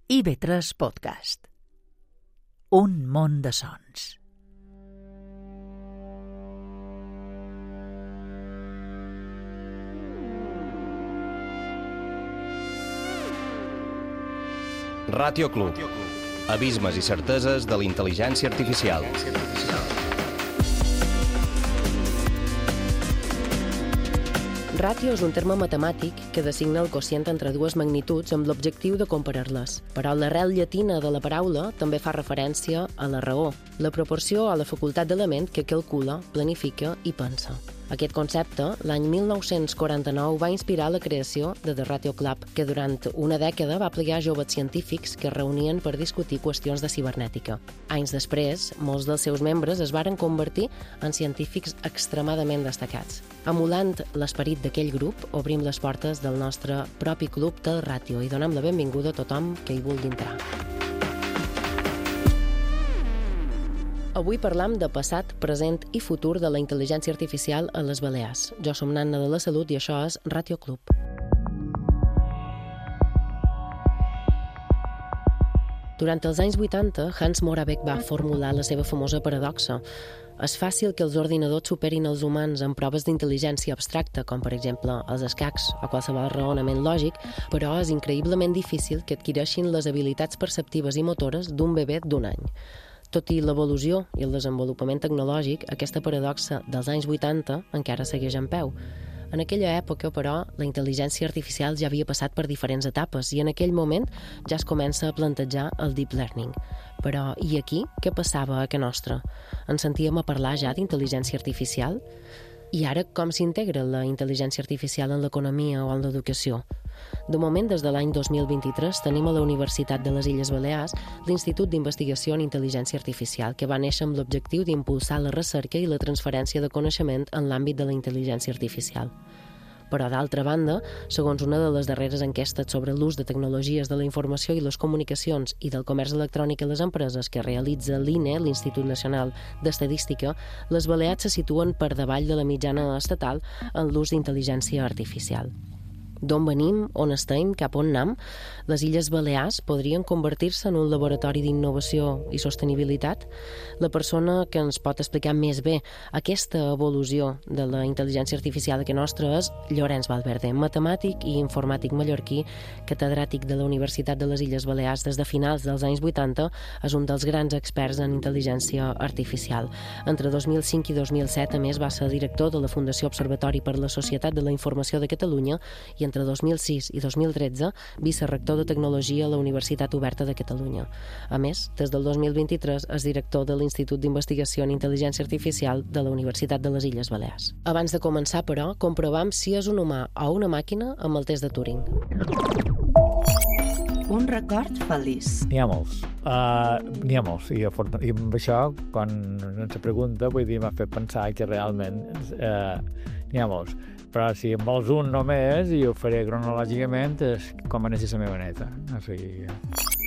IB3 Podcast. Un món de sons. Ràtio Club. Abismes i certeses de la intel·ligència artificial. Ràtio és un terme matemàtic que designa el quocient entre dues magnituds amb l'objectiu de comparar-les. Però l'arrel llatina de la paraula també fa referència a la raó, la proporció o la facultat d'element que calcula, planifica i pensa. Aquest concepte, l'any 1949, va inspirar la creació de The Ràtio Club, que durant una dècada va plegar joves científics que es reunien per discutir qüestions de cibernètica. Anys després, molts dels seus membres es varen convertir en científics extremadament destacats. Emulant l'esperit d'aquell grup, obrim les portes del nostre propi club del Ràtio i donem la benvinguda a tothom que hi vulgui entrar. Avui parlam de passat, present i futur de la intel·ligència artificial a les Balears. Jo som Nanna de la Salut i això és Ràtio Club. Durant els anys 80, Hans Moravec va formular la seva famosa paradoxa. És fàcil que els ordinadors superin els humans en proves d'intel·ligència abstracta, com per exemple els escacs o qualsevol raonament lògic, però és increïblement difícil que adquireixin les habilitats perceptives i motores d'un bebè d'un any. Tot i l'evolució i el desenvolupament tecnològic, aquesta paradoxa dels anys 80 encara segueix en peu. En aquella època, però, la intel·ligència artificial ja havia passat per diferents etapes i en aquell moment ja es comença a plantejar el deep learning. Però, i aquí, què passava a Ca Nostra? Ens sentíem a parlar ja d'intel·ligència artificial? I ara, com s'integra la intel·ligència artificial en l'economia o en l'educació? De moment, des de l'any 2023, tenim a la Universitat de les Illes Balears l'Institut d'Investigació en Intel·ligència Artificial, que va néixer amb l'objectiu d'impulsar la recerca i la transferència de coneixement en l'àmbit de la intel·ligència artificial. Però, d'altra banda, segons una de les darreres enquestes sobre l'ús de tecnologies de la informació i les comunicacions i del comerç electrònic a les empreses que realitza l'INE, l'Institut Nacional d'Estadística, les Balears se situen per davall de la mitjana estatal en l'ús d'intel·ligència artificial. D'on venim, on estem, cap on anem, les Illes Balears podrien convertir-se en un laboratori d'innovació i sostenibilitat? La persona que ens pot explicar més bé aquesta evolució de la intel·ligència artificial que nostra és Llorenç Valverde, matemàtic i informàtic mallorquí, catedràtic de la Universitat de les Illes Balears des de finals dels anys 80, és un dels grans experts en intel·ligència artificial. Entre 2005 i 2007, a més, va ser director de la Fundació Observatori per la Societat de la Informació de Catalunya i entre 2006 i 2013 vicerector de Tecnologia a la Universitat Oberta de Catalunya. A més, des del 2023 és director de l'Institut d'Investigació en Intel·ligència Artificial de la Universitat de les Illes Balears. Abans de començar, però, comprovam si és un humà o una màquina amb el test de Turing. Un record feliç. N'hi ha molts. I amb això, quan ens pregunta, vull dir, m'ha fet pensar que realment n'hi ha molts. Però si en vols un només, i ho faré cronològicament, és com a néixer la meva neta. O sigui...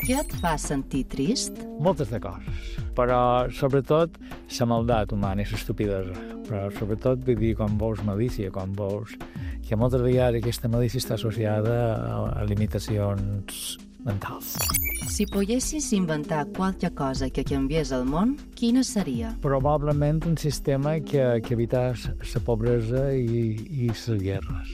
Què et fa sentir trist? Moltes de coses, però sobretot la maldat humana i l'estupidesa. Però sobretot, vull dir, quan veus malícia, quan veus que moltes vegades aquesta malícia està associada a limitacions mentals. Si poguessis inventar qualque cosa que canviés el món, quina seria? Probablement un sistema que evitàs la pobresa i les guerres.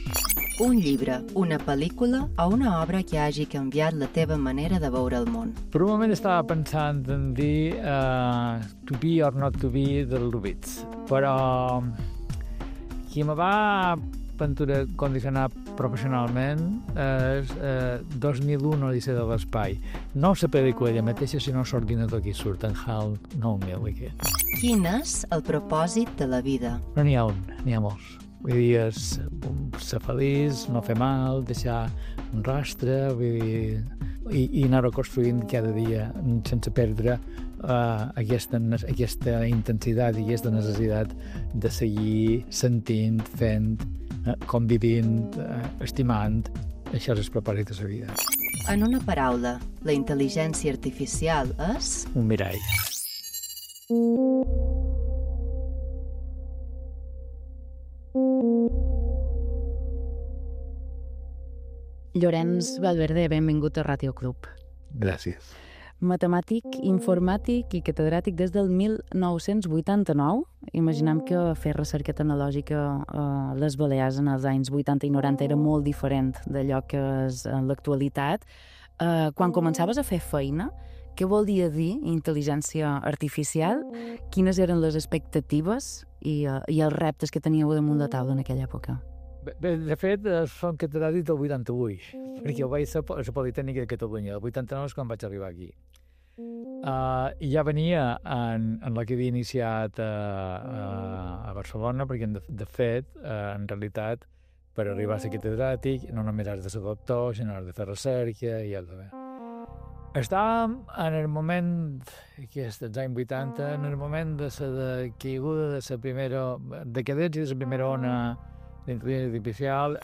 Un llibre, una pel·lícula o una obra que hagi canviat la teva manera de veure el món. Per un moment estava pensant en dir To Be or Not To Be del Lubitsch, però qui me va condicionar professionalment és 2001 Odissea de l'Espai. No la pel·lícula ella mateixa, sinó l'ordinador que hi surt, en HAL 9000 aquest. Quin és el propòsit de la vida? Però n'hi ha n'hi ha molts. Vull dir, ser feliç, no fer mal, deixar un rastre, vull dir, i anar-ho construint cada dia sense perdre aquesta intensitat i aquesta necessitat de seguir sentint, fent, convivint, estimant. Això és el propòsit de la vida. En una paraula, la intel·ligència artificial és... Un mirall. Llorenç Valverde, benvingut a Ràtio Club. Gràcies. Matemàtic, informàtic i catedràtic des del 1989. Imaginem que fer recerca tecnològica a les Balears en els anys 80 i 90 era molt diferent d'allò que és en l'actualitat. Quan començaves a fer feina, què volia dir intel·ligència artificial? Quines eren les expectatives i els reptes que teníeu damunt la taula en aquella època? Bé, de fet, som catedràtics del 88, perquè jo vaig ser a la Politècnica de Catalunya. El 89 és quan vaig arribar aquí. I ja venia en la que havia iniciat a Barcelona, perquè, de fet, en realitat, per arribar a ser catedràtic, no només has de ser doctor, sinó has de fer recerca i has de fer. Estàvem en el moment, dels anys 80, en el moment de la caiguda de la primera decadència de la primera ona d'intel·ligència artificial.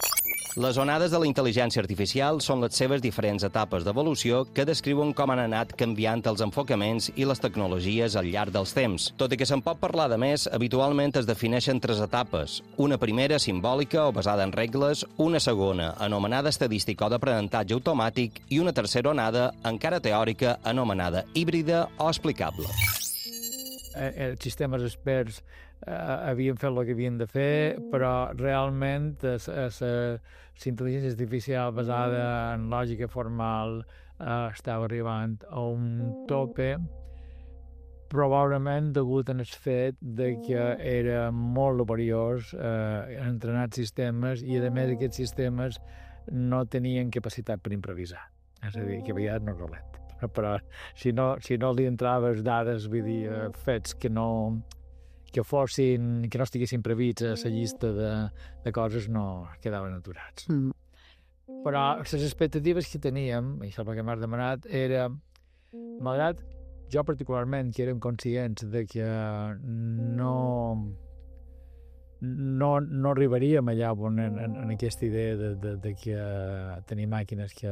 Les onades de la intel·ligència artificial són les seves diferents etapes d'evolució que descriuen com han anat canviant els enfocaments i les tecnologies al llarg dels temps. Tot i que se'n pot parlar de més, habitualment es defineixen 3 etapes. Una primera, simbòlica o basada en regles, una segona, anomenada estadística o d'aprenentatge automàtic, i una tercera onada, encara teòrica, anomenada híbrida o explicable. Els sistemes experts havien fet el que havien de fer, però realment la intel·ligència artificial basada en lògica formal estava arribant a un tope, probablement degut al fet de que era molt laboriós entrenar sistemes i, a més, aquests sistemes no tenien capacitat per improvisar. És a dir, que a vegades no és dolent. Però si no li entraves dades, vull dir, fets que no estiguessin previts a la llista de coses, no quedaven aturats. Però les expectatives que teníem, i això és el que m'has demanat, era, malgrat jo particularment, que érem conscients de que no arribaríem allà en aquesta idea de que tenir màquines que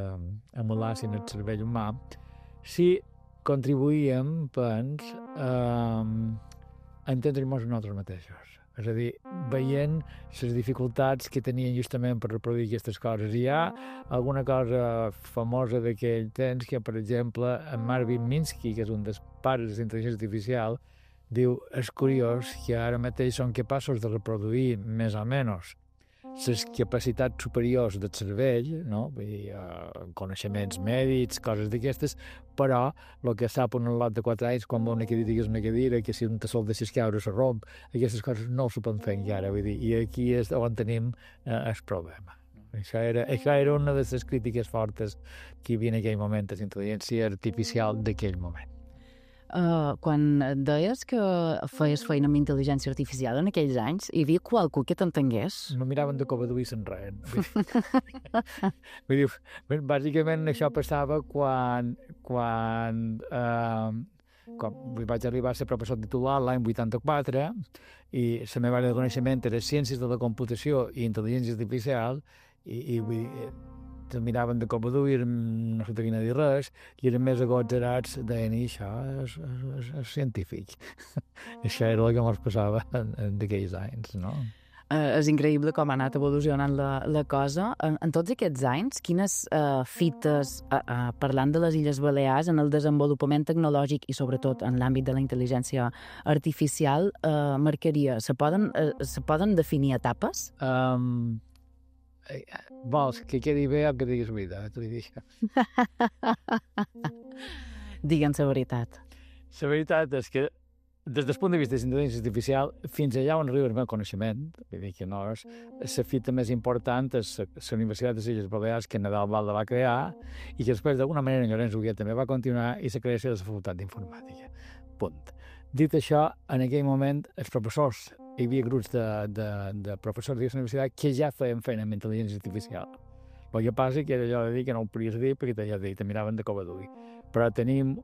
emulassin el cervell humà, sí contribuïem, a entendre-nos a nosaltres mateixos. És a dir, veient les dificultats que tenien justament per reproduir aquestes coses. Hi ha alguna cosa famosa d'aquell temps que, per exemple, en Marvin Minsky, que és un dels pares de l'intel·ligència artificial, diu, és curiós que ara mateix són capaços de reproduir més o menys les capacitats superiors del cervell, no? Vull dir, coneixements mèdics, coses d'aquestes, però el que sap un lot de 4 anys quan va una cadira és una cadira, que si un tassol deixes caure se romp, aquestes coses no s'ho poden fer encara, vull dir, i aquí és on tenim el problema. Això era una de les crítiques fortes que hi havia en aquell moment de la intel·ligència artificial d'aquell moment. Quan deies que feies feina amb intel·ligència artificial en aquells anys, hi havia qualcú que t'entengués? Me miraven de cobador i se'n reien. Vull dir, bàsicament això passava quan vaig arribar a ser professor titular l'any 84 i la meva àrea de coneixement era ciències de la computació i intel·ligència artificial i vull dir, se'l miraven de cobador i no se t'havien de dir res i eren més agotgerats, deien, això és científic. Això era el que ens passava d'aquells anys, no? És increïble com ha anat evolucionant la cosa. En tots aquests anys, quines fites, parlant de les Illes Balears, en el desenvolupament tecnològic i sobretot en l'àmbit de la intel·ligència artificial, marcaria? Se poden definir etapes? Vols que quedi bé o que diguis veritat? Digue'ns la veritat. La veritat és que des del punt de vista de la intel·ligència artificial, fins allà on arriba el meu coneixement, vull dir que no és la fita més important és la Universitat de les Illes Balears, que Nadal Valda va crear, i que després d'alguna manera Llorenç Huguet també va continuar, i la creació de la Facultat d'Informàtica. Punt. Dit això, en aquell moment, els professors, hi havia grups de professors de la universitat que ja feien feina amb intel·ligència artificial. El que passa que era allò de dir que no ho podies dir perquè te miraven de cobador. Però tenim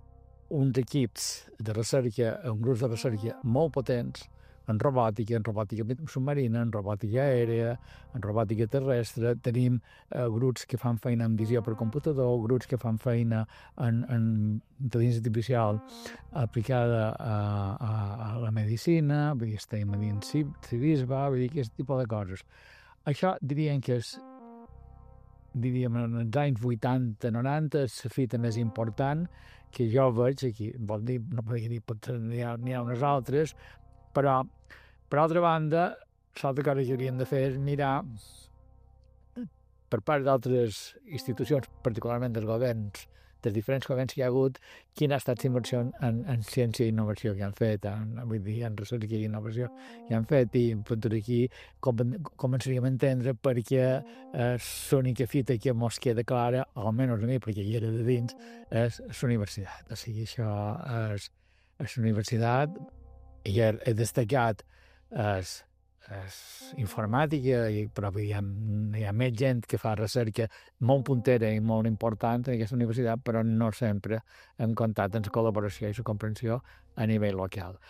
uns equips de recerca, uns grups de recerca molt potents en robòtica submarina, en robòtica aèrea, en robòtica terrestre. Tenim grups que fan feina en visió per computador, grups que fan feina en intel·ligència artificial aplicada a la medicina, vull dir, estem a dins civisme, vull dir, aquest tipus de coses. Això dirien que és diríem, en els anys 80-90 és la fita més important que jo veig aquí. Vol dir, no podria dir, potser n'hi ha unes altres, però, per altra banda, l'altra cosa que hauríem de fer és mirar per part d'altres institucions, particularment dels governs, dels diferents governs que hi ha hagut, quina ha estat la inversió en ciència i innovació que han fet, vull dir, en recerca i innovació que han fet, i per aquí començaríem a entendre perquè l'única fita que mos queda clara, almenys a mi, perquè hi era de dins, és la universitat. O sigui, això és la universitat, i he destacat informàtica, però hi ha més gent que fa recerca molt puntera i molt important en aquesta universitat, però no sempre hem comptat amb la col·laboració i la comprensió a nivell local.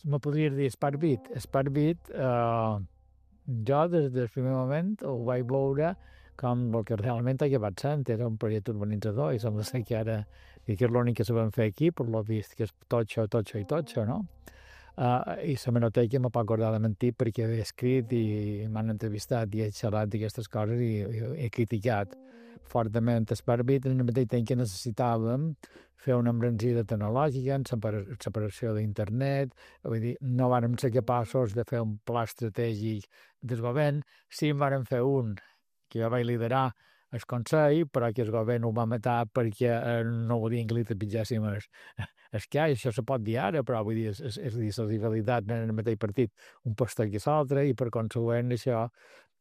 Me podries dir Sparkbit? Sparkbit, jo des del primer moment ho vaig veure com el que realment ha acabat sent, era un projecte urbanitzador, i sembla ser que ara que és l'únic que sabem fer aquí, per lo vist, que és totxo, no? I la menoteca me pot acordar de mentir perquè he escrit i m'han entrevistat i he xerrat d'aquestes coses i he criticat fortament Sparkbit en el mateix temps que necessitàvem fer una embranzida tecnològica en separació d'internet. Vull dir, no vàrem ser capaços de fer un pla estratègic del govern. Sí en vàrem fer un que jo vaig liderar el Consell, però que el govern ho va matar perquè no volien que li trepitjàssim el que això se pot dir ara, però vull dir, és dir, la rivalitat en el mateix partit, un pastor que l'altre, i per consegüent això,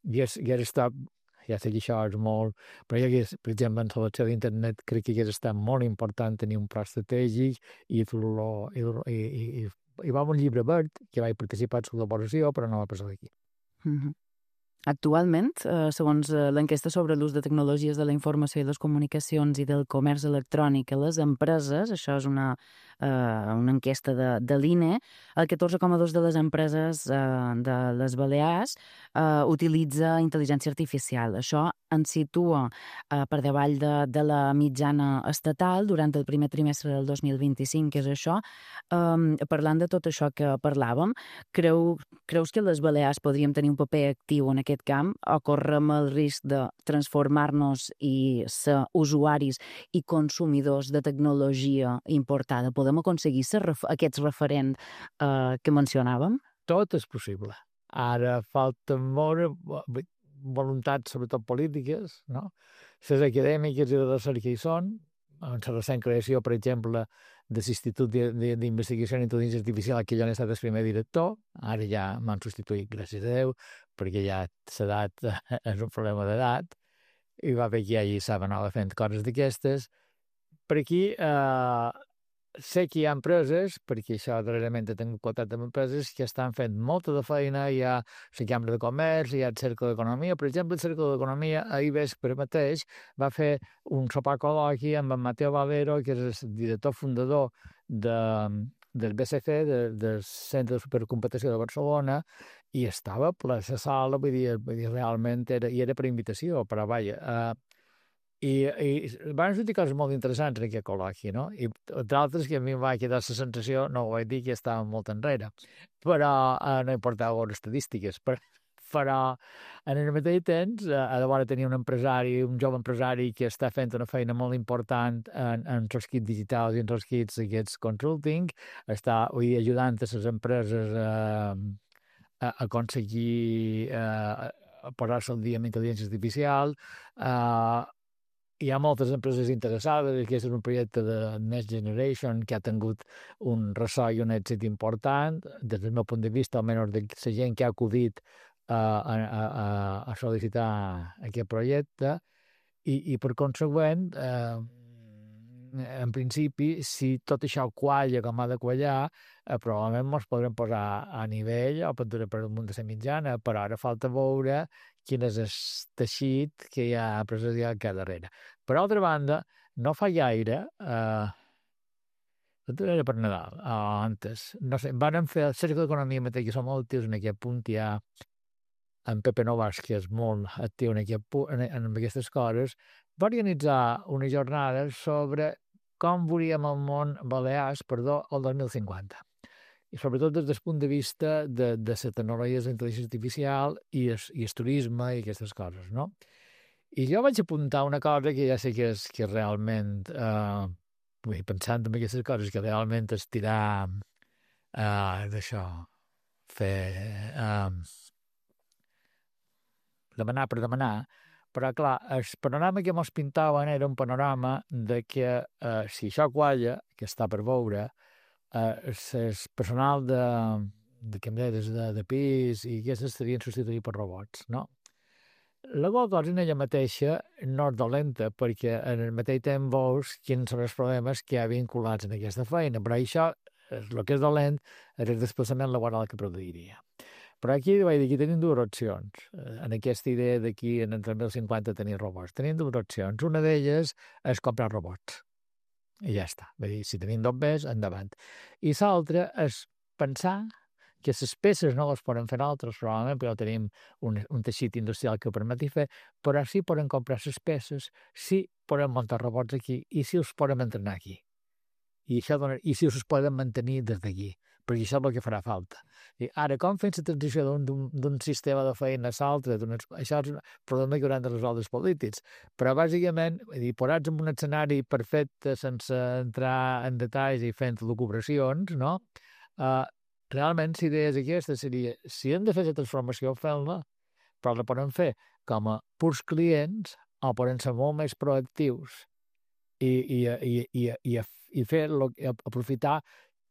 ja sé que això és molt, però ja que, per exemple, en selecció d'internet crec que hagués estat molt important tenir un pla estratègic i va haver un llibre verd que vaig participar en la col·laboració, però no va passar d'aquí. Actualment, segons l'enquesta sobre l'ús de tecnologies de la informació i les comunicacions i del comerç electrònic a les empreses, això és una enquesta de l'INE, el 14,2% de les empreses de les Balears utilitza intel·ligència artificial. Això ens situa per davall de la mitjana estatal durant el primer trimestre del 2025, que és això. Parlant de tot això que parlàvem, creus que les Balears podríem tenir un paper actiu en aquest camp o correm el risc de transformar-nos i ser usuaris i consumidors de tecnologia importada? Podem aconseguir aquests referents que mencionàvem? Tot és possible. Ara falta molt voluntats, sobretot polítiques, no? Les acadèmiques i de recerca hi són. En la recent creació, per exemple, de l'Institut d'Investigació en Intel·ligència Artificial, que jo n'he estat el primer director, ara ja m'han substituït, gràcies a Déu, perquè ja l'edat és un problema d'edat, i va haver que hi saben anar fent coses d'aquestes. Per aquí sé que hi ha empreses, perquè això darrerament he tingut contacte amb empreses, que estan fent molta de feina. Hi ha la Cambra de Comerç, hi ha el Cercle d'Economia. Per exemple, el Cercle d'Economia ahir vespre mateix va fer un sopar col·loqui amb en Mateo Valero, que és el director fundador del BCC, del Centre de Supercomputació de Barcelona, i estava ple la sala, vull dir realment era per invitació, però vaja, i van sortir coses molt interessants en aquest col·loqui, no? I d'altres que a mi em va quedar la sensació, no ho vaig dir, que estàvem molt enrere, però no importava veure estadístiques, però en el mateix temps ha de veure tenir un jove empresari que està fent una feina molt important en els kits digitals i en els kits aquests consulting, està ajudant a les empreses a aconseguir posar-se al dia amb intel·ligència artificial. Hi ha moltes empreses interessades. Aquest és un projecte de Next Generation que ha tingut un ressò i un èxit important. Des del meu punt de vista, almenys de la gent que ha acudit a sol·licitar aquest projecte, i per consegüent, en principi, si tot això qualla com ha de quallar, probablement ens podrem posar a nivell o per damunt de la mitjana, però ara falta veure quin és el teixit que hi ha empresarial que darrere. Per altra banda, no fa gaire, era per Nadal, antes, no sé, vàrem fer el Cercle d'Economia mateix, que som molt actius en aquest punt. Hi ha en Pepe Novas, que és molt actiu en aquestes coses, va organitzar una jornada sobre com veuríem el món Balears, el 2050. I sobretot des del punt de vista de la tecnologia de la intel·ligència artificial i el turisme i aquestes coses, no? I jo vaig apuntar una cosa que ja sé que és realment, pensant en aquestes coses, que realment és tirar d'això, fer demanar per demanar, però clar, el panorama que mos pintaven era un panorama de que si això qualla, que està per veure, el personal de què em deies, de pis i aquestes serien substituïts per robots, no? La qual cosa en ella mateixa no és dolenta, perquè en el mateix temps veus quins són els problemes que hi ha vinculats en aquesta feina, però això, el que és dolent, és el desplaçament laboral que produiria. Però aquí tenim dues opcions. En aquesta idea d'aquí, en el 2050, tenir robots. Tenim dues opcions. Una d'elles és comprar robots. I ja està. Vull dir, si tenim dos més, endavant. I l'altra és pensar que les peces no les poden fer altres, probablement, perquè tenim un teixit industrial que ho permeti fer, però sí poden comprar les peces, sí poden muntar robots aquí i sí els poden entrenar aquí. I si els poden mantenir des d'aquí, perquè això és el que farà falta. I ara, com fem la transició d'un sistema de feina a l'altre, això és un problema que hauran de resoldre els polítics. Però, bàsicament, posats en un escenari perfecte, sense entrar en detalls i fent lucubracions, no? Realment, la idea és aquesta, seria, si hem de fer la transformació, fem-la, però la podem fer com a purs clients o podem ser molt més proactius i fer aprofitar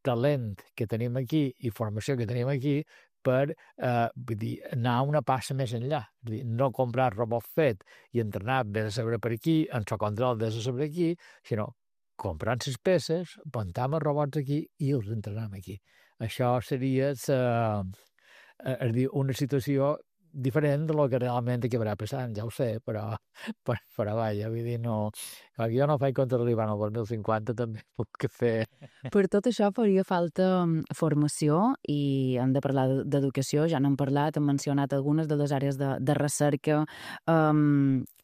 talent que tenim aquí i formació que tenim aquí per anar una passa més enllà. No comprar robot fet i entrenar des de saber per aquí, en el control des de saber aquí, sinó comprant les peces, muntam els robots aquí i els entrenem aquí. Això seria una situació diferent de lo que realment acabarà passant, ja ho sé, però vaja, vull dir, no... Clar, jo no faig compte d'arribar al 2050, també puc fer... Per tot això faria falta formació i hem de parlar d'educació, ja n'hem parlat, hem mencionat algunes de les àrees de recerca.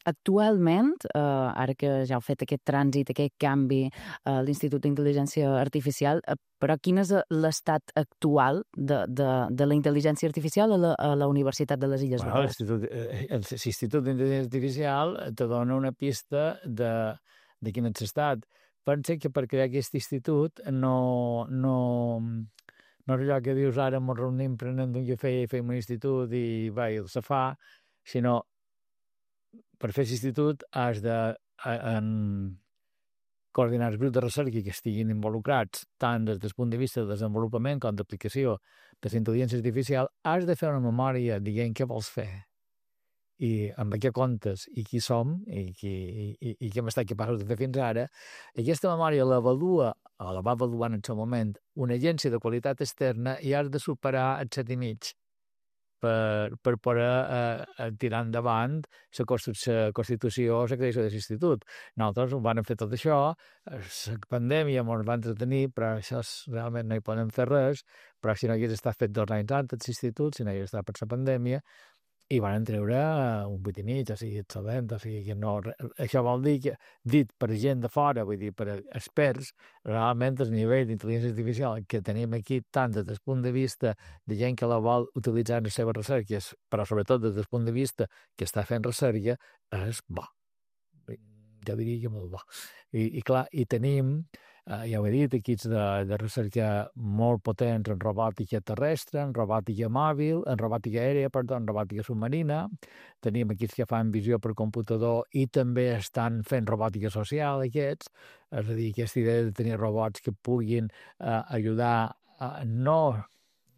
Actualment, ara que ja heu fet aquest trànsit, aquest canvi a l'Institut d'Intel·ligència Artificial, però quin és l'estat actual de la intel·ligència artificial a la Universitat de les Illes Balears? L'Institut d'Intel·ligència Artificial te dona una pista de quin és l'estat. Pensa que per crear aquest institut no és allò que dius ara ens reunim, prenem un cafè i fem un institut i se fa, sinó per fer l'institut has de coordinar els grups de recerca que estiguin involucrats tant des del punt de vista de desenvolupament com d'aplicació de la intel·ligència artificial, has de fer una memòria dient què vols fer i amb què comptes i qui som i què hem estat capaços de fer fins ara. Aquesta memòria l'avalua o la va avaluar en el seu moment una agència de qualitat externa i has de superar el 7,5 per poder tirar endavant la constitució o la creació de l'institut. Nosaltres ho vam fer tot això, la pandèmia ens va entretenir, però això realment no hi podem fer res, però si no hagués estat fet 2 anys antes l'institut, si no hagués estat per la pandèmia, i van treure un 8,5, o sigui, excel·lent, o sigui que no... Això vol dir que, dit per gent de fora, vull dir, per experts, realment el nivell d'intel·ligència artificial que tenim aquí, tant des del punt de vista de gent que la vol utilitzar en les seves recerques, però sobretot des del punt de vista que està fent recerca, és bo. Jo diria que molt bo. I clar, i tenim... ja ho he dit, equips de recerca molt potents en robòtica terrestre, en robòtica mòbil, en robòtica aèria, en robòtica submarina. Tenim equips que fan visió per computador i també estan fent robòtica social, aquests. És a dir, aquesta idea de tenir robots que puguin ajudar a no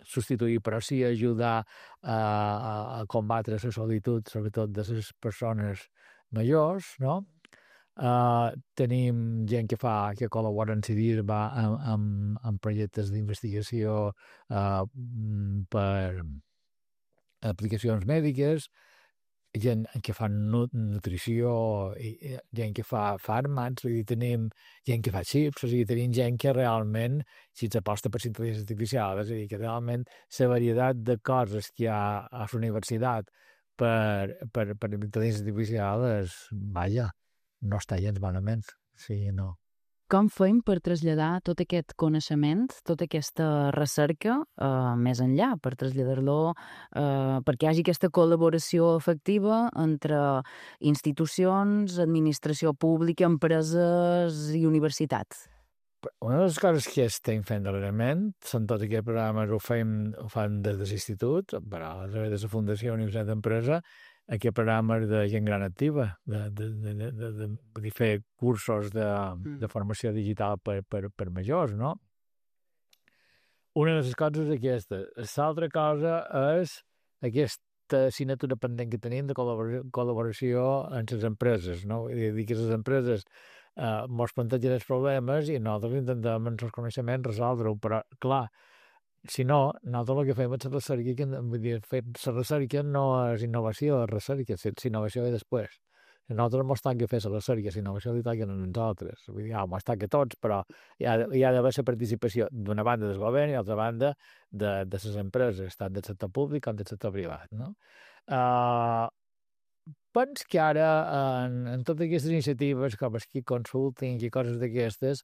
substituir, però sí ajudar a combatre la solitud, sobretot de les persones majors, no? Tenim gent que col·labora en CIDIRBA amb projectes d'investigació per aplicacions mèdiques, gent que fa nutrició, gent que fa fàrmacs, tenim gent que fa xips, o sigui, tenim gent que realment, si s'aposta per la intel·ligència artificial, és a dir, que realment la varietat de coses que hi ha a la universitat per intel·ligència artificial és, vaja, no està gens malament, sí, no. Com fem per traslladar tot aquest coneixement, tota aquesta recerca més enllà, per traslladar-lo, perquè hi hagi aquesta col·laboració efectiva entre institucions, administració pública, empreses i universitats? Una de les coses que estem fent darrerament són tots aquests programes, ho fan des de l'institut, però a través de la Fundació Universitat d'Empresa, aquest programa de gent gran activa, de fer cursos de formació digital per majors, no? Una de les coses és aquesta. L'altra cosa és aquesta assignatura pendent que tenim de col·laboració amb les empreses, no? Vull dir que les empreses ens plantegen els problemes i nosaltres intentem amb els coneixements resoldre-ho, però, clar, si no, nosaltres el que fem és la recerca, vull dir, la recerca no és innovació, és recerca, la innovació ve després. A nosaltres ens toca fer la recerca, la innovació li toca a nosaltres. Vull dir, ens toca a tots, però hi ha d'haver la participació d'una banda del govern i d'altra banda de les empreses, tant del sector públic com del sector privat, no? Penso que ara, en totes aquestes iniciatives, com el Key Consulting i coses d'aquestes,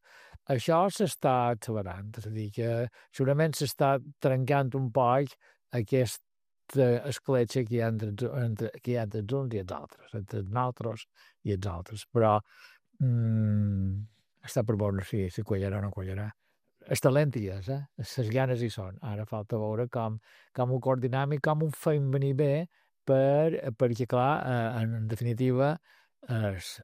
això s'està accelerant. És a dir, que segurament s'està trencant un poc aquesta escletxa que hi ha entre els uns i els altres, entre nosaltres i els altres. Però està per veure si quallarà o no quallarà. El talent hi és, les ganes hi són. Ara falta veure com ho coordinem i com ho fem venir bé, perquè, clar, en definitiva, els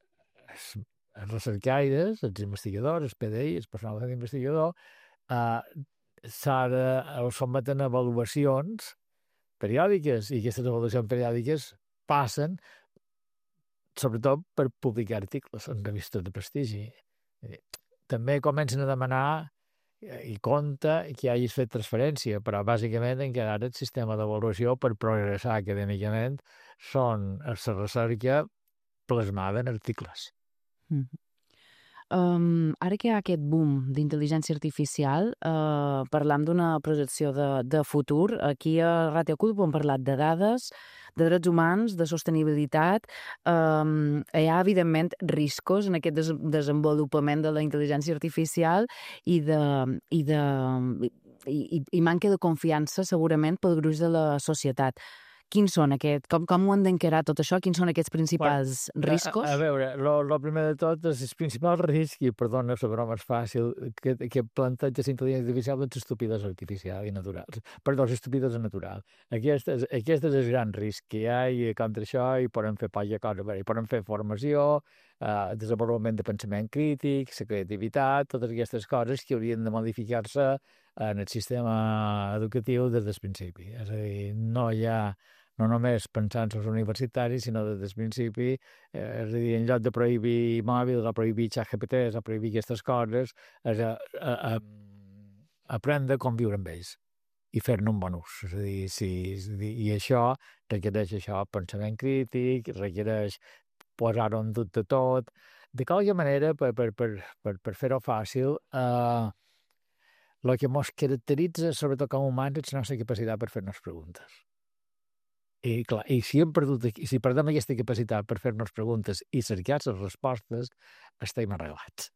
recercaires, els investigadors, els PDI, el personal d'investigador, els someten a avaluacions periòdiques, i aquestes avaluacions periòdiques passen sobretot per publicar articles en revistes de prestigi. També comencen a demanar i compta que hagis fet transferència, però bàsicament encara el sistema d'avaluació per progressar acadèmicament són la recerca plasmada en articles. Ara que hi ha aquest boom d'intel·ligència artificial, parlam d'una projecció de futur. Aquí a Ràdio Culpa hem parlat de dades, de drets humans, de sostenibilitat. Hi ha, evidentment, riscos en aquest desenvolupament de la intel·ligència artificial i manca de confiança, segurament, pel gruix de la societat. Quins són aquests? Com ho han d'encarar tot això? Quins són aquests principals riscos? A veure, el primer de tot, els principals riscs, i perdona, la broma és fàcil, que planteja la intel·ligència artificial és l'estupidesa artificial i natural. Perdó, l'estupidesa natural. Aquest és el gran risc que hi ha, i contra això hi podem fer poca cosa. Hi podem fer formació, desenvolupament de pensament crític, la creativitat, totes aquestes coses que haurien de modificar-se en el sistema educatiu des del principi. És a dir, no hi ha no només pensant en els universitaris, sinó des del principi, és a dir, en lloc de prohibir mòbils o prohibir ChatGPT o prohibir aquestes coses, és aprendre a conviure amb ells i fer-ne un bon ús. És a dir, i això requereix pensament crític, requereix posar-ho en dubte tot. De qualque manera, per fer-ho fàcil, el que ens caracteritza, sobretot com a humans, és la nostra capacitat per fer-nos preguntes. I, clar, si perdem aquesta capacitat per fer-nos preguntes i cercar les respostes, estem arreglats.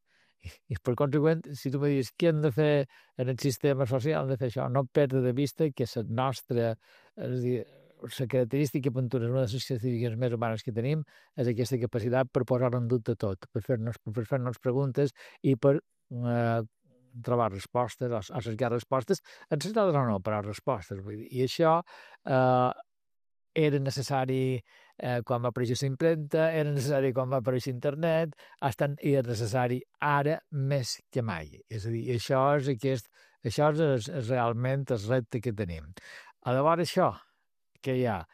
I per conseqüent, si tu me dius què hem de fer en el sistema social, hem de fer això, no perdre de vista que la nostra, és a dir, la característica una de les característiques més humanes que tenim és aquesta capacitat per posar en dubte tot, per fer-nos preguntes i per trobar respostes o cercar respostes, encertades o no, però respostes. Vull dir. I això era necessari quan va aparèixer la impremta, era necessari quan va aparèixer internet, i és necessari ara més que mai. És a dir, això és realment el repte que tenim. Llavors això que hi ha,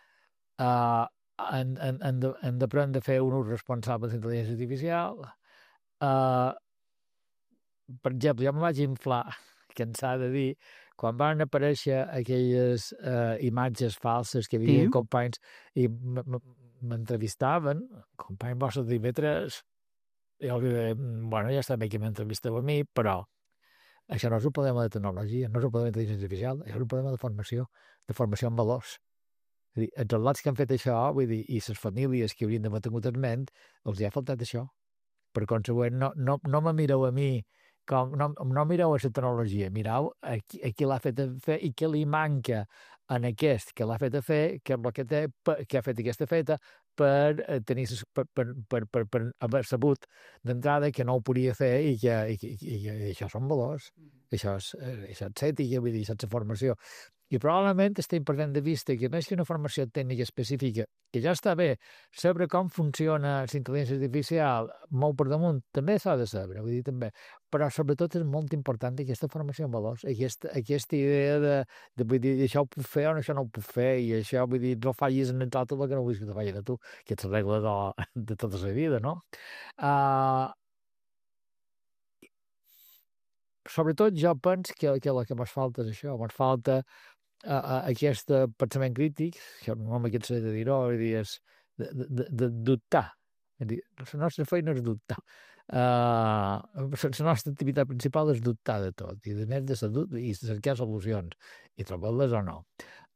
hem d'aprendre a fer un ús responsable de la intel·ligència artificial. Per exemple, jo me vaig inflar, cansat de dir, quan van aparèixer aquelles imatges falses que hi havia companys i m'entrevistaven, companys vostres d'IV3, i jo li deia, bueno, ja està bé que m'entrevisteu a mi, però això no és un problema de tecnologia, no és un problema d'intel·ligència artificial, és un problema de formació en valors. És a dir, els atlats que han fet això, vull dir, i les famílies que haurien d'haver tingut en ment, els hi ha faltat això. Per consegüent, no me mireu a mi, no mireu a la tecnologia, mireu a qui l'ha fet fer i què li manca en aquest que l'ha fet fer, que és el que té, que ha fet aquesta feta, per tenir per haver sabut d'entrada que no ho podia fer i això són valors, això és ètica, vull dir, això és formació. I probablement estem perdent de vista que més que una formació tècnica específica, que ja està bé, saber com funciona la intel·ligència artificial molt per damunt, també s'ha de saber, vull dir, també. Però sobretot és molt important aquesta formació en valors, aquesta idea de vull dir, això ho puc fer o això no ho puc fer, i això, vull dir, no fallis en tot el que no vull que te fallis a tu, que és la regla de tota la vida, no? Sobretot jo penso que el que m'ha falta és això, m'ha falta aquest pensament crític, que no me cansaré de dir-ho, és de dubtar. La nostra feina és dubtar. La nostra activitat principal és dubtar de tot, i a més de i cercar solucions, i trobar-les o no.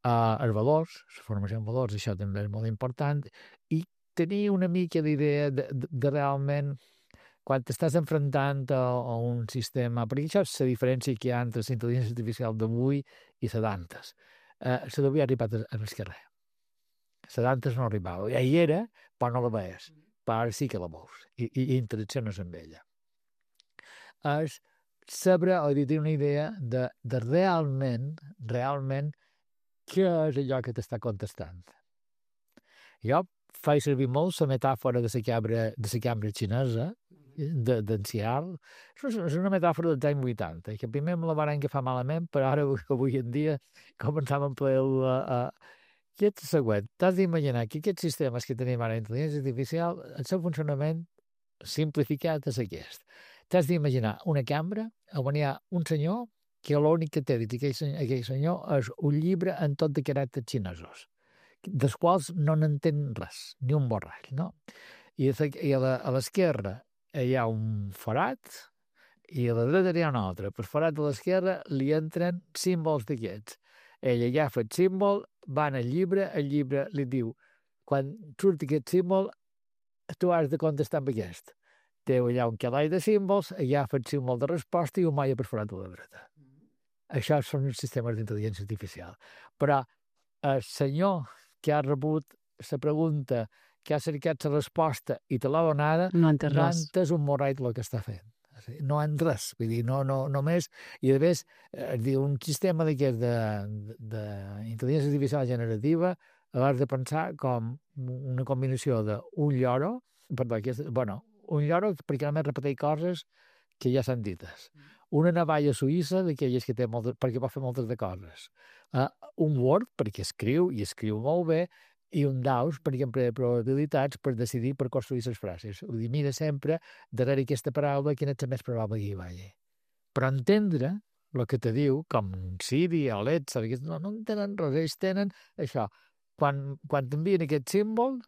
Els valors, la formació en valors, això també és molt important, i tenir una mica d'idea de realment quan t'estàs enfrontant a un sistema, perquè això és la diferència que hi ha entre la intel·ligència artificial d'avui i la d'antes. La d'avui ha arribat a l'esquerrer. La d'antes no arribava. Ja hi era, però no la veies. Però ara sí que la veus i interacciones amb ella. És saber o tenir una idea de realment què és allò que t'està contestant. Jo faig servir molt la metàfora de la cambra xinesa, d'enciar. És una metàfora dels anys 80, que primer me la van agafar malament, però ara avui en dia començàvem a emplear que és el següent. T'has d'imaginar que aquests sistemes que tenim ara d'intel·ligència artificial, el seu funcionament simplificat és aquest. T'has d'imaginar una cambra on hi ha un senyor que l'únic que té dit aquell senyor és un llibre en tot de caràcters xinesos, dels quals no n'entén res, ni un borrall, no? I a l'esquerra hi ha un forat i a la dreta hi ha un altre. Per forat de l'esquerra li entren símbols d'aquests. Ell agafa el símbol, va al llibre, el llibre li diu quan surt aquest símbol tu has de contestar amb aquest. Té allà un calaix de símbols, agafa el símbol de resposta i ho maia per forat de la dreta. Això són els sistemes d'intel·ligència artificial. Però el senyor que ha rebut la pregunta, que ha cercat la resposta i te l'ha donada, no ha entès un morret el que està fent. No ha res, vull dir, no només... I a més, un sistema d'aquest d'intel·ligència artificial generativa l'has de pensar com una combinació d'un lloro, un lloro perquè només repeteix coses que ja s'han dites. Una navalla suïssa d'aquelles que té perquè pot fer moltes de coses. Un Word perquè escriu, i escriu molt bé, i un DAOs perquè emprega probabilitats per decidir per construir les frases. Vull dir, mira sempre darrere aquesta paraula quina és la més probable que hi vagi. Però entendre el que te diu, com Siri o Alexa, no entenen res, ells tenen això. Quan t'envien aquest símbol,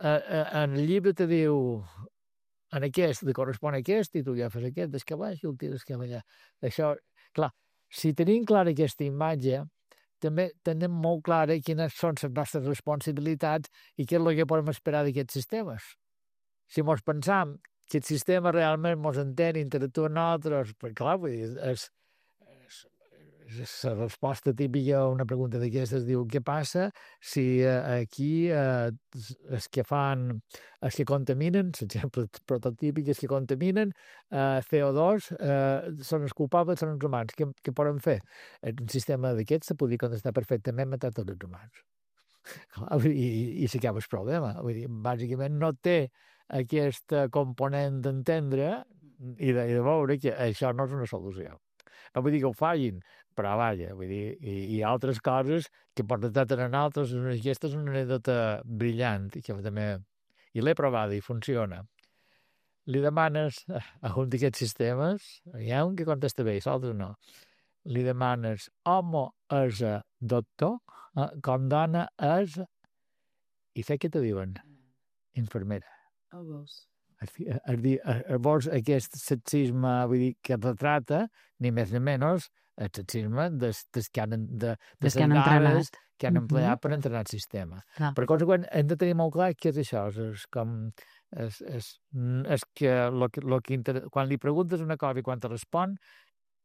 en el llibre te diu en aquest li correspon aquest i tu ja fas aquest, des que baix i el tires que allà. Això, clar, si tenim clara aquesta imatge, també tenim molt clara quines són les nostres responsabilitats i què és el que podem esperar d'aquests sistemes. Si mos pensam que el sistema realment mos entén i interactua amb nosaltres, perquè clar, vull dir, és la resposta típica a una pregunta d'aquestes diu què passa si aquí els que contaminen, l'exemple prototípic, els que contaminen CO2 són els culpables, són els humans. Què poden fer? Un sistema d'aquests se podria contestar perfectament matar tots els humans. I s'acaba el problema. Vull dir, bàsicament no té aquest component d'entendre i de veure que això no és una solució. No vull dir que ho fallin, però vaja, vull dir, hi ha altres coses que per detectar en altres, aquesta és una anècdota brillant, que també, i l'he provada i funciona. Li demanes a un d'aquests sistemes, hi ha un que contesta bé, i l'altre no, li demanes home és doctor, com dona és, i sé què te diuen? Infermera. Oh, veus. Llavors aquest sexisme, vull dir, que retrata ni més ni menys el sexisme des que han entrenat que han empleat per entrenar el sistema. Per conseqüent, hem de tenir molt clar què és això, és com És que quan li preguntes una cosa i quan te respon,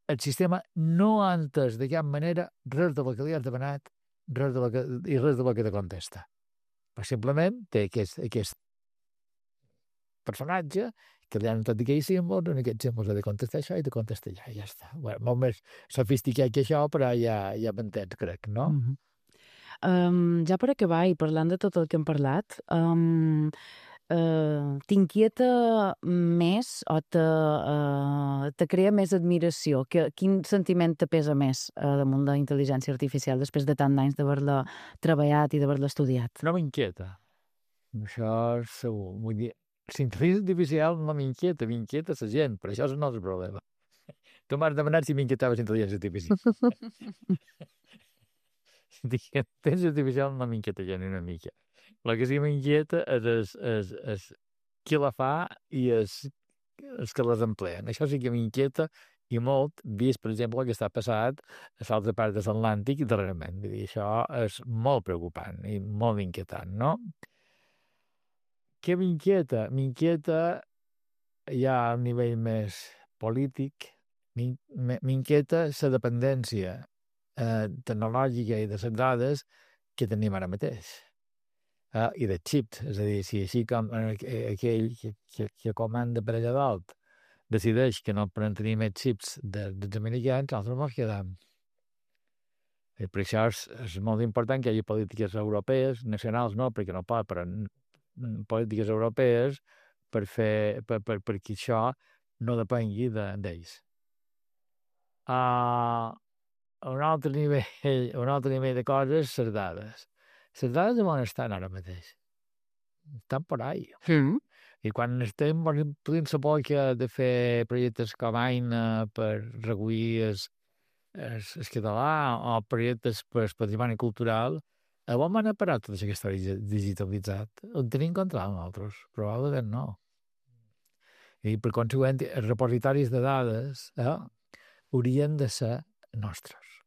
el sistema no ha entès de cap manera res de lo que li has demanat i res de lo que te contesta. Però simplement té aquest personatge que li han tot aquells símbols, en aquests símbols ha de contestar això i de contestar allà, i ja està. Bueno, molt més sofisticat que això, però ja m'entens, crec, no? Ja per acabar, i parlant de tot el que hem parlat, t'inquieta més o te crea més admiració? Quin sentiment te pesa més damunt la intel·ligència artificial després de tant d'anys d'haver-la treballat i d'haver-la estudiat? No m'inquieta. Això és segur. Vull dir, la intel·ligència artificial no m'inquieta la gent, però això és el nostre problema. Tu m'has demanat si m'inquietava la intel·ligència artificial. La intel·ligència artificial no m'inquieta ja ni una mica. El que sí m'inquieta és qui la fa i els que les empleen. Això sí que m'inquieta i molt, vist, per exemple, el que està passat a l'altra part de l'Atlàntic darrerament. Vull dir, això és molt preocupant i molt inquietant, no? Què m'inquieta? M'inquieta ja a nivell més polític, m'inquieta la dependència tecnològica i de les dades que tenim ara mateix. I de xips, és a dir, si així com aquell que comanda per allà dalt decideix que no podem tenir més xips dels americans, nosaltres ens quedem. I per això és molt important que hi hagi polítiques europees, nacionals no, perquè no pot, però polítiques europees perquè això no depengui d'ells. Un altre nivell de coses, les dades. Les dades on estan ara mateix? Estan per ahí. I quan estem podem saber que de fer projectes com Aina per recollir el català o projectes per el patrimoni cultural, on han parat tot això que està digitalitzat? Ho tenim contra nosaltres? Probablement no. I per conseqüent, els repositoris de dades haurien de ser nostres.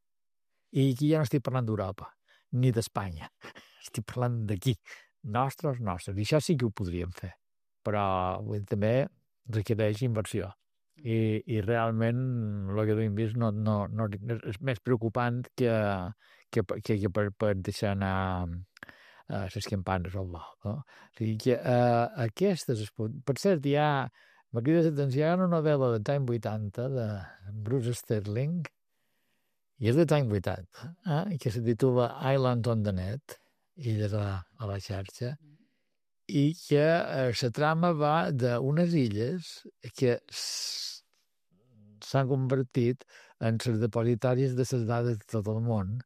I aquí ja no estic parlant d'Europa, ni d'Espanya. Estic parlant d'aquí. Nostres. I això sí que ho podríem fer. Però també requereix inversió. I realment el que hem vist no és més preocupant que per deixar anar les campanes al vol. No? O sigui que aquestes... Per cert, m'ha cridat l'atenció una novel·la dels anys 80 de Bruce Sterling, i és dels anys 80, que se titula Island on the Net, illes a la xarxa, i que la trama va d'unes illes que s'han convertit en les depositaris de les dades de tot el món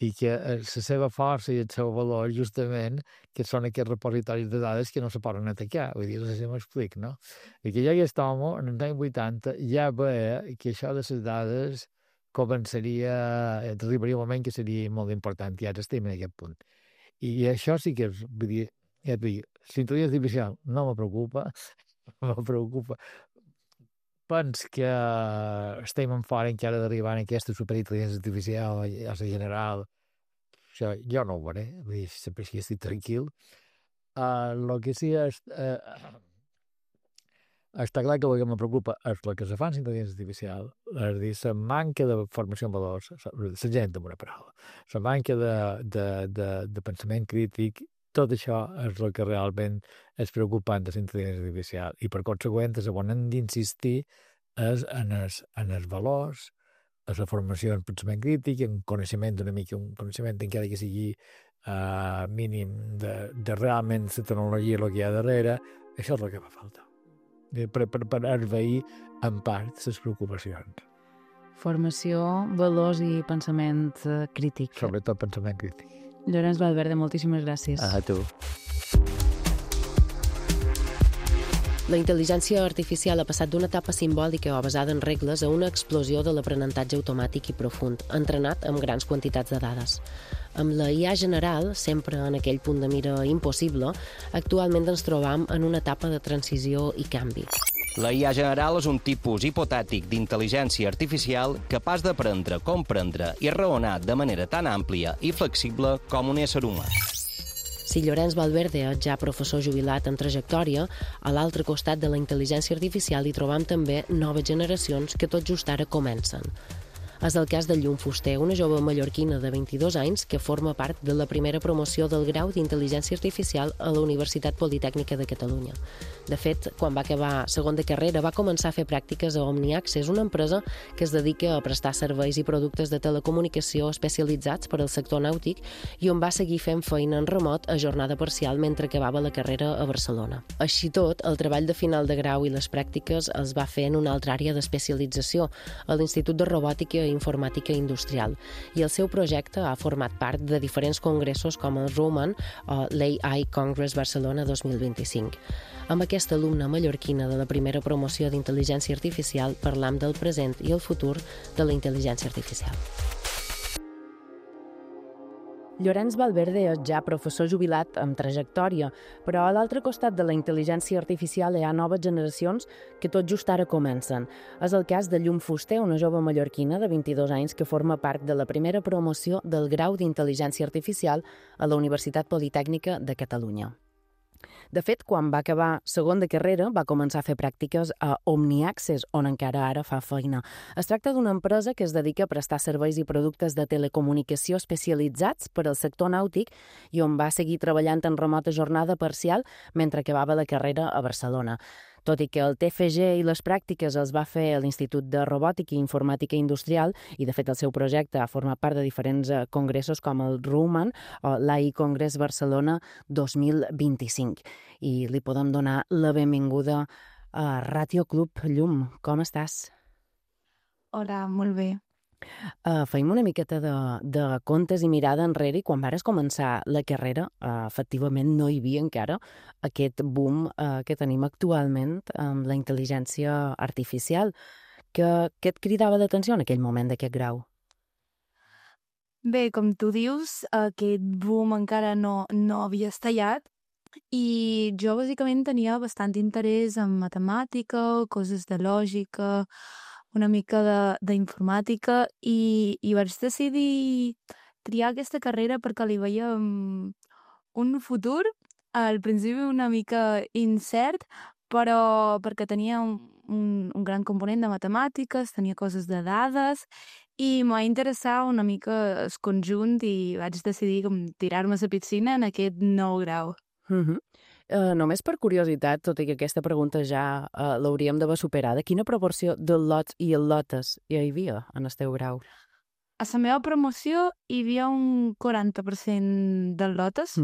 i que la seva força i el seu valor justament que són aquests repositoris de dades que no se poden atacar. Vull dir, no sé si m'explic, no? I que ja aquest home, en els anys 80, ja veia que això de les dades arribaria un moment que seria molt important, i ara estem en aquest punt. I això sí que és, vull dir, ja et dic, la intel·ligència artificial no me preocupa. Pens que estem en fora encara d'arribar en aquesta superintel·ligència artificial a la general. Això jo no ho veuré, vull dir, sempre que estic tranquil. El que sí està clar que el que me preocupa és el que se fa en intel·ligència artificial, és dir, la manca de formació en valors, la gent amb una paraula, la manca de pensament crític, tot això és el que realment és preocupant de la intel·ligència artificial i per conseqüent és on hem d'insistir és en els valors, en la formació en pensament crític, en coneixement una mica, un coneixement encara que sigui mínim de realment la tecnologia el que hi ha darrere, això és el que fa falta. Per envair en part les preocupacions. Formació, valors i pensament crític. Sobretot pensament crític. Llorenç Valverde, moltíssimes gràcies. A tu. La intel·ligència artificial ha passat d'una etapa simbòlica o basada en regles a una explosió de l'aprenentatge automàtic i profund, entrenat amb grans quantitats de dades. Amb la IA general, sempre en aquell punt de mira impossible, actualment ens trobam en una etapa de transició i canvi. La IA general és un tipus hipotètic d'intel·ligència artificial capaç d'aprendre, comprendre i raonar de manera tan àmplia i flexible com un ésser humà. Si Llorenç Valverde és ja professor jubilat amb trajectòria, a l'altre costat de la intel·ligència artificial hi trobam també noves generacions que tot just ara comencen. És el cas de Llum Fuster, una jove mallorquina de 22 anys que forma part de la primera promoció del grau d'Intel·ligència Artificial a la Universitat Politècnica de Catalunya. De fet, quan va acabar segon de carrera, va començar a fer pràctiques a OmniAccess, una empresa que es dedica a prestar serveis i productes de telecomunicació especialitzats per al sector nàutic i on va seguir fent feina en remot a jornada parcial mentre acabava la carrera a Barcelona. Així tot, el treball de final de grau i les pràctiques els va fer en una altra àrea d'especialització, a l'Institut de Robòtica i Informàtica Industrial, i el seu projecte ha format part de diferents congressos com el RUMAN o l'AI Congress Barcelona 2025. Amb aquesta alumna mallorquina de la primera promoció d'Intel·ligència Artificial parlam del present i el futur de la intel·ligència artificial. Llorenç Valverde és ja professor jubilat amb trajectòria, però a l'altre costat de la intel·ligència artificial hi ha noves generacions que tot just ara comencen. És el cas de Llum Fuster, una jove mallorquina de 22 anys que forma part de la primera promoció del grau d'Intel·ligència Artificial a la Universitat Politècnica de Catalunya. De fet, quan va acabar segon de carrera, va començar a fer pràctiques a OmniAccess, on encara ara fa feina. Es tracta d'una empresa que es dedica a prestar serveis i productes de telecomunicació especialitzats per al sector nàutic i on va seguir treballant en remota jornada parcial mentre acabava la carrera a Barcelona. Tot i que el TFG i les pràctiques els va fer a l'Institut de Robòtica i Informàtica Industrial i, de fet, el seu projecte ha format part de diferents congressos com el RUMAN o l'AI Congress Barcelona 2025. I li podem donar la benvinguda a Ràtio Club. Llum, com estàs? Hola, molt bé. Feim una miqueta de comptes i mirada enrere i quan vares començar la carrera, efectivament no hi havia encara aquest boom que tenim actualment amb la intel·ligència artificial. Què et cridava l'atenció en aquell moment d'aquest grau? Bé, com tu dius, aquest boom encara no havia estallat i jo bàsicament tenia bastant interès en matemàtica, coses de lògica, una mica d'informàtica i vaig decidir triar aquesta carrera perquè li veia un futur al principi una mica incert, però perquè tenia un gran component de matemàtiques, tenia coses de dades i m'ha interessat una mica el conjunt i vaig decidir tirar-me a la piscina en aquest nou grau. Només per curiositat, tot i que aquesta pregunta ja l'hauríem d'haver superada, quina proporció de lots i lotes hi havia en el teu grau? A la meva promoció hi havia un 40% de lotes.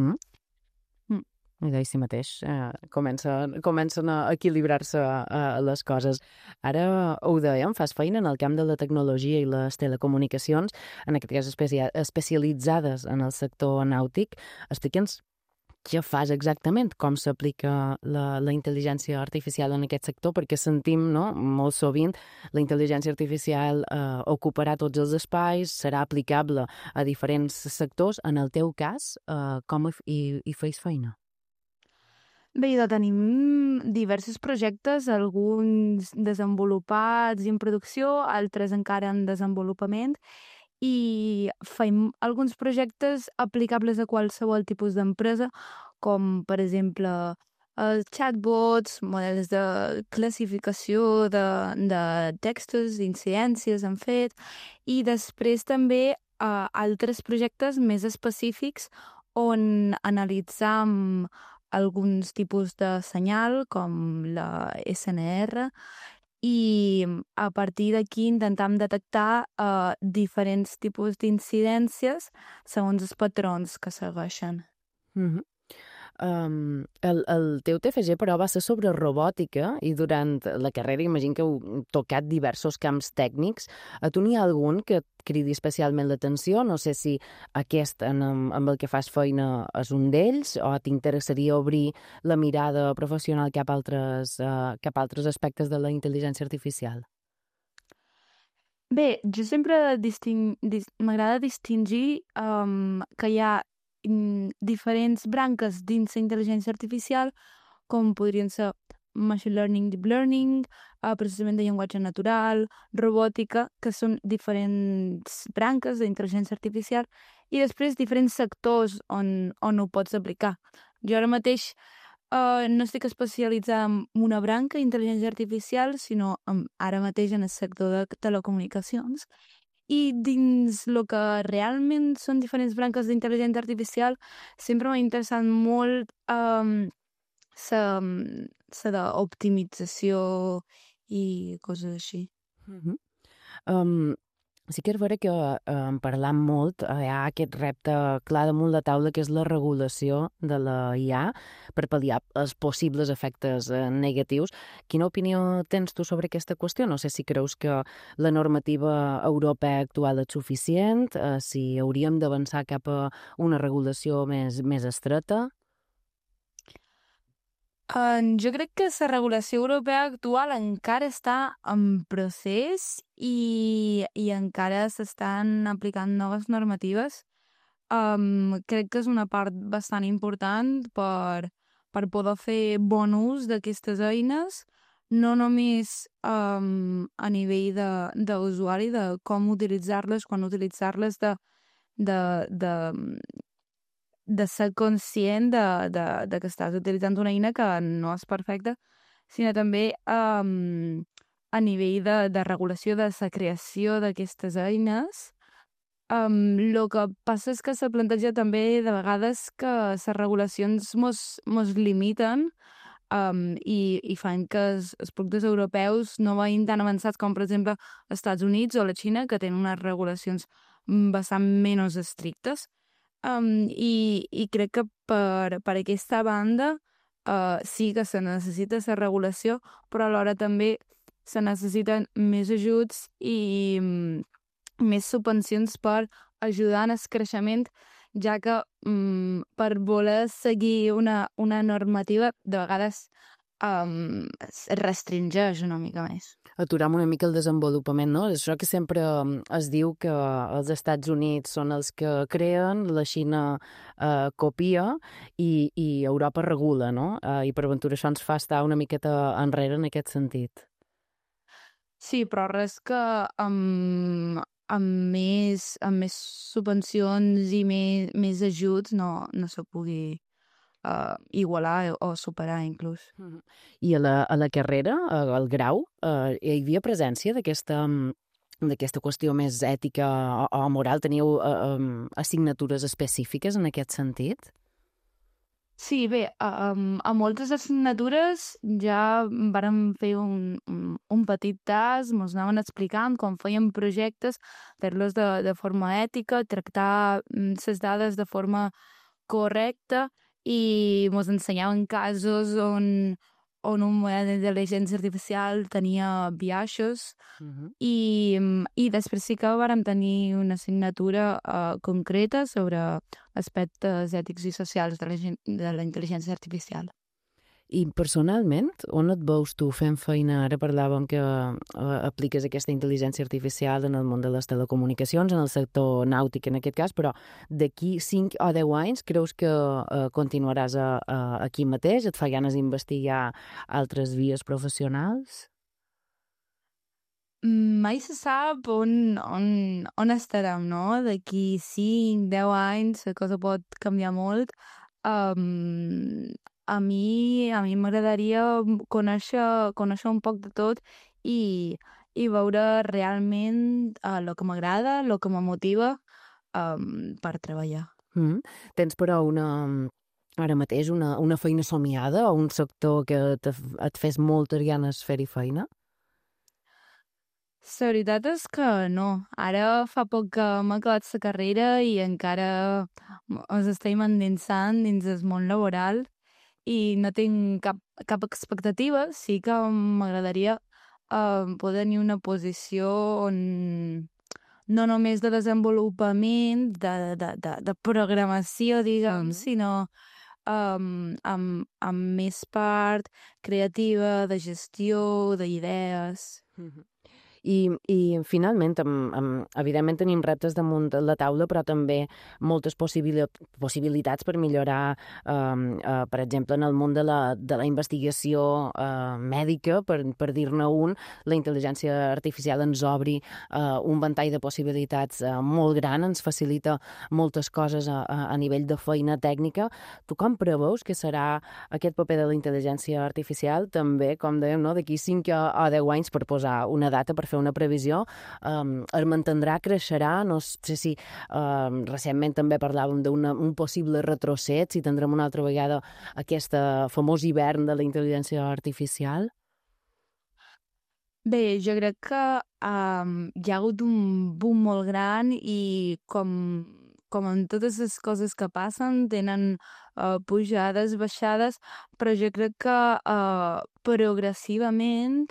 I d'així mateix comencen a equilibrar-se les coses. Ara ho dèiem, fas feina en el camp de la tecnologia i les telecomunicacions, en aquest cas especialitzades en el sector nàutic. Explica'ns què fas exactament, com s'aplica la intel·ligència artificial en aquest sector, perquè sentim, no, molt sovint la intel·ligència artificial ocuparà tots els espais, serà aplicable a diferents sectors. En el teu cas, com hi feis feina? Bé, tenim diversos projectes, alguns desenvolupats i en producció, altres encara en desenvolupament, i fem alguns projectes aplicables a qualsevol tipus d'empresa, com per exemple chatbots, models de classificació de textos, d'incidències han fet, i després també altres projectes més específics on analitzam alguns tipus de senyal, com la SNR, i a partir d'aquí intentam detectar diferents tipus d'incidències segons els patrons que segueixen. El teu TFG, però, va ser sobre robòtica i durant la carrera imagino que heu tocat diversos camps tècnics. A tu n'hi ha algun que et cridi especialment l'atenció? No sé si aquest amb el que fas feina és un d'ells o t'interessaria obrir la mirada professional cap a altres aspectes de la intel·ligència artificial? Bé, jo sempre m'agrada distingir que hi ha diferents branques dins la intel·ligència artificial, com podrien ser machine learning, deep learning, processament de llenguatge natural, robòtica, que són diferents branques d'intel·ligència artificial, i després diferents sectors on ho pots aplicar. Jo ara mateix no estic especialitzada en una branca d'intel·ligència artificial, sinó ara mateix en el sector de telecomunicacions. I dins el que realment són diferents branques d'intel·ligència artificial, sempre m'ha interessat molt la d'optimització i coses així. Sí que és vera que parlant molt hi ha aquest repte clar damunt la taula que és la regulació de la IA per pal·liar els possibles efectes negatius. Quina opinió tens tu sobre aquesta qüestió? No sé si creus que la normativa europea actual és suficient, si hauríem d'avançar cap a una regulació més estreta. Jo crec que la regulació europea actual encara està en procés i encara s'estan aplicant noves normatives. Crec que és una part bastant important per poder fer bon ús d'aquestes eines, no només a nivell d'usuari, de com utilitzar-les, quan utilitzar-les, de ser conscient de que estàs utilitzant una eina que no és perfecta, sinó també a nivell de regulació de la creació d'aquestes eines. El que passa és que se planteja també de vegades que les regulacions mos limiten i fan que els productes europeus no vagin tan avançats com, per exemple, els Estats Units o la Xina, que tenen unes regulacions bastant menys estrictes. I crec que per aquesta banda sí que se necessita la regulació, però alhora també se necessiten més ajuts i més subvencions per ajudar en el creixement, ja que per voler seguir una normativa de vegades restringeix una mica més. Aturam una mica el desenvolupament, no? És això que sempre es diu que els Estats Units són els que creen, la Xina copia i Europa regula, no? I per aventura això ens fa estar una miqueta enrere en aquest sentit. Sí, però res que amb més subvencions i més ajuts no se pugui igualar o superar, inclús. I a la carrera, al grau, hi havia presència d'aquesta qüestió més ètica o moral? Teniu assignatures específiques en aquest sentit? Sí, bé, a moltes assignatures ja vàrem fer un petit tas, mos anaven explicant com fèiem projectes, fer-los de forma ètica, tractar les dades de forma correcta i mos ensenyaven casos on un model d'intel·ligència artificial tenia biaixos i després sí que vàrem tenir una assignatura concreta sobre aspectes ètics i socials de la intel·ligència artificial. I personalment, on et veus tu fent feina? Ara parlàvem que apliques aquesta intel·ligència artificial en el món de les telecomunicacions, en el sector nàutic en aquest cas, però d'aquí 5 o 10 anys creus que continuaràs aquí mateix? Et fa ganes d'investigar altres vies professionals? Mai se sap on estarem, no? D'aquí 5, 10 anys la cosa pot canviar molt. A mi m'agradaria conèixer un poc de tot i veure realment el que m'agrada, el que me motiva per treballar. Tens, però, ara mateix una feina somiada o un sector que et fes moltes ganes fer-hi feina? La veritat és que no. Ara fa poc que m'ha acabat la carrera i encara ens estem endinsant dins el món laboral i no tinc cap expectativa. Sí que m'agradaria poder tenir una posició on no només de desenvolupament, de programació, diguem, sinó amb més part creativa, de gestió, d'idees. I finalment, evidentment tenim reptes damunt la taula, però també moltes possibilitats per millorar, per exemple, en el món de la investigació mèdica, per dir-ne un, la intel·ligència artificial ens obri un ventall de possibilitats molt gran, ens facilita moltes coses a nivell de feina tècnica. Tu com preveus que serà aquest paper de la intel·ligència artificial? També, com dèiem, no? D'aquí 5 o 10 anys, per posar una data, per fer una previsió, es mantindrà, creixerà? No sé si recentment també parlàvem d'un possible retrocés, si tindrem una altra vegada aquest famós hivern de la intel·ligència artificial? Bé, jo crec que hi ha hagut un boom molt gran i com en totes les coses que passen, tenen pujades, baixades, però jo crec que progressivament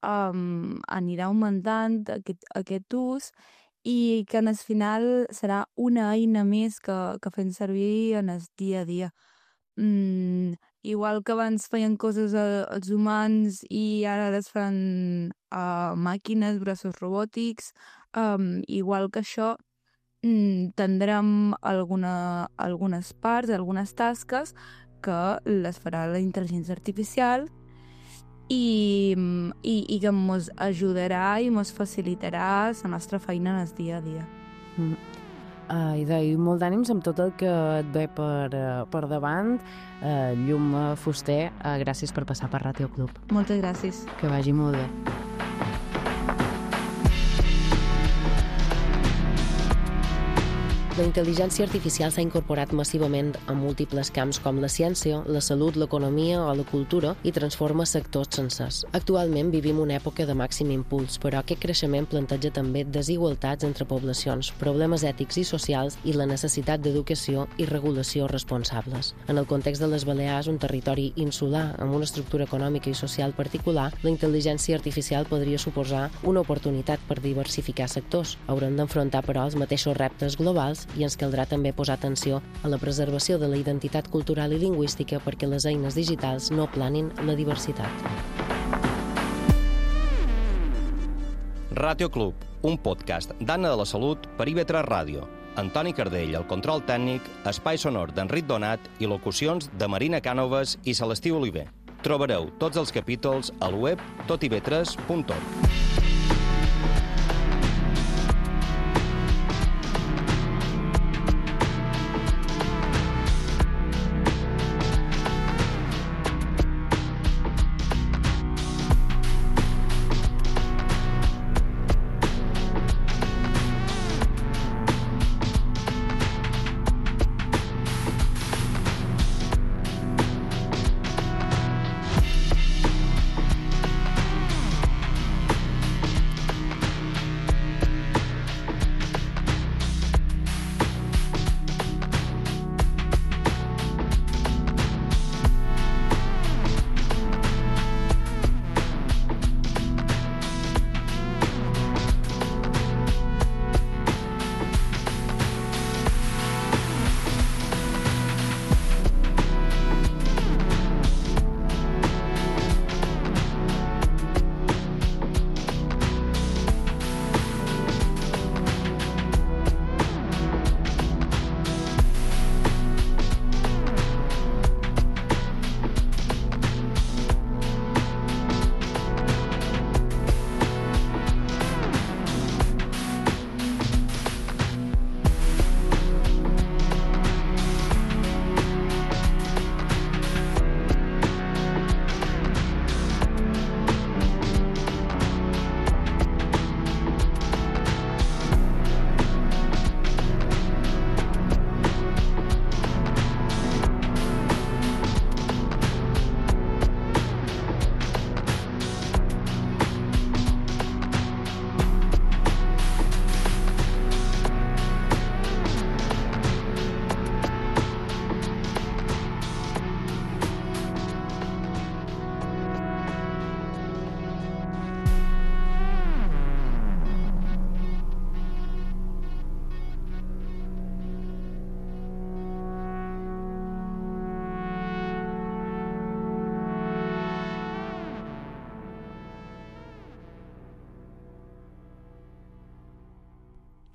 anirà augmentant aquest ús i que en el final serà una eina més que fem servir en el dia a dia. Igual que abans feien coses els humans i ara les fan màquines, braços robòtics, igual que això, tindrem algunes parts, algunes tasques que les farà la intel·ligència artificial i que ens ajudarà i ens facilitarà la nostra feina en el dia a dia. I molt d'ànims amb tot el que et ve per davant. Llum Fuster, gràcies per passar per Ràdio Club. Moltes gràcies. Que vagi molt bé. La intel·ligència artificial s'ha incorporat massivament a múltiples camps com la ciència, la salut, l'economia o la cultura i transforma sectors sencers. Actualment vivim una època de màxim impuls, però aquest creixement planteja també desigualtats entre poblacions, problemes ètics i socials i la necessitat d'educació i regulació responsables. En el context de les Balears, un territori insular amb una estructura econòmica i social particular, la intel·ligència artificial podria suposar una oportunitat per diversificar sectors. Haurem d'enfrontar, però, els mateixos reptes globals i ens caldrà també posar atenció a la preservació de la identitat cultural i lingüística perquè les eines digitals no aplanin la diversitat. Ràdio Club, un podcast d'Anna de la Salut per IB3 Ràdio. Antoni Cardell, el control tècnic, espai sonor d'Enric Donat i locucions de Marina Cànoves i Celestí Oliver. Trobareu tots els capítols al web totib3.org.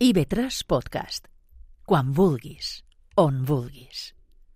IB3 Podcast. Quan vulguis, on vulguis.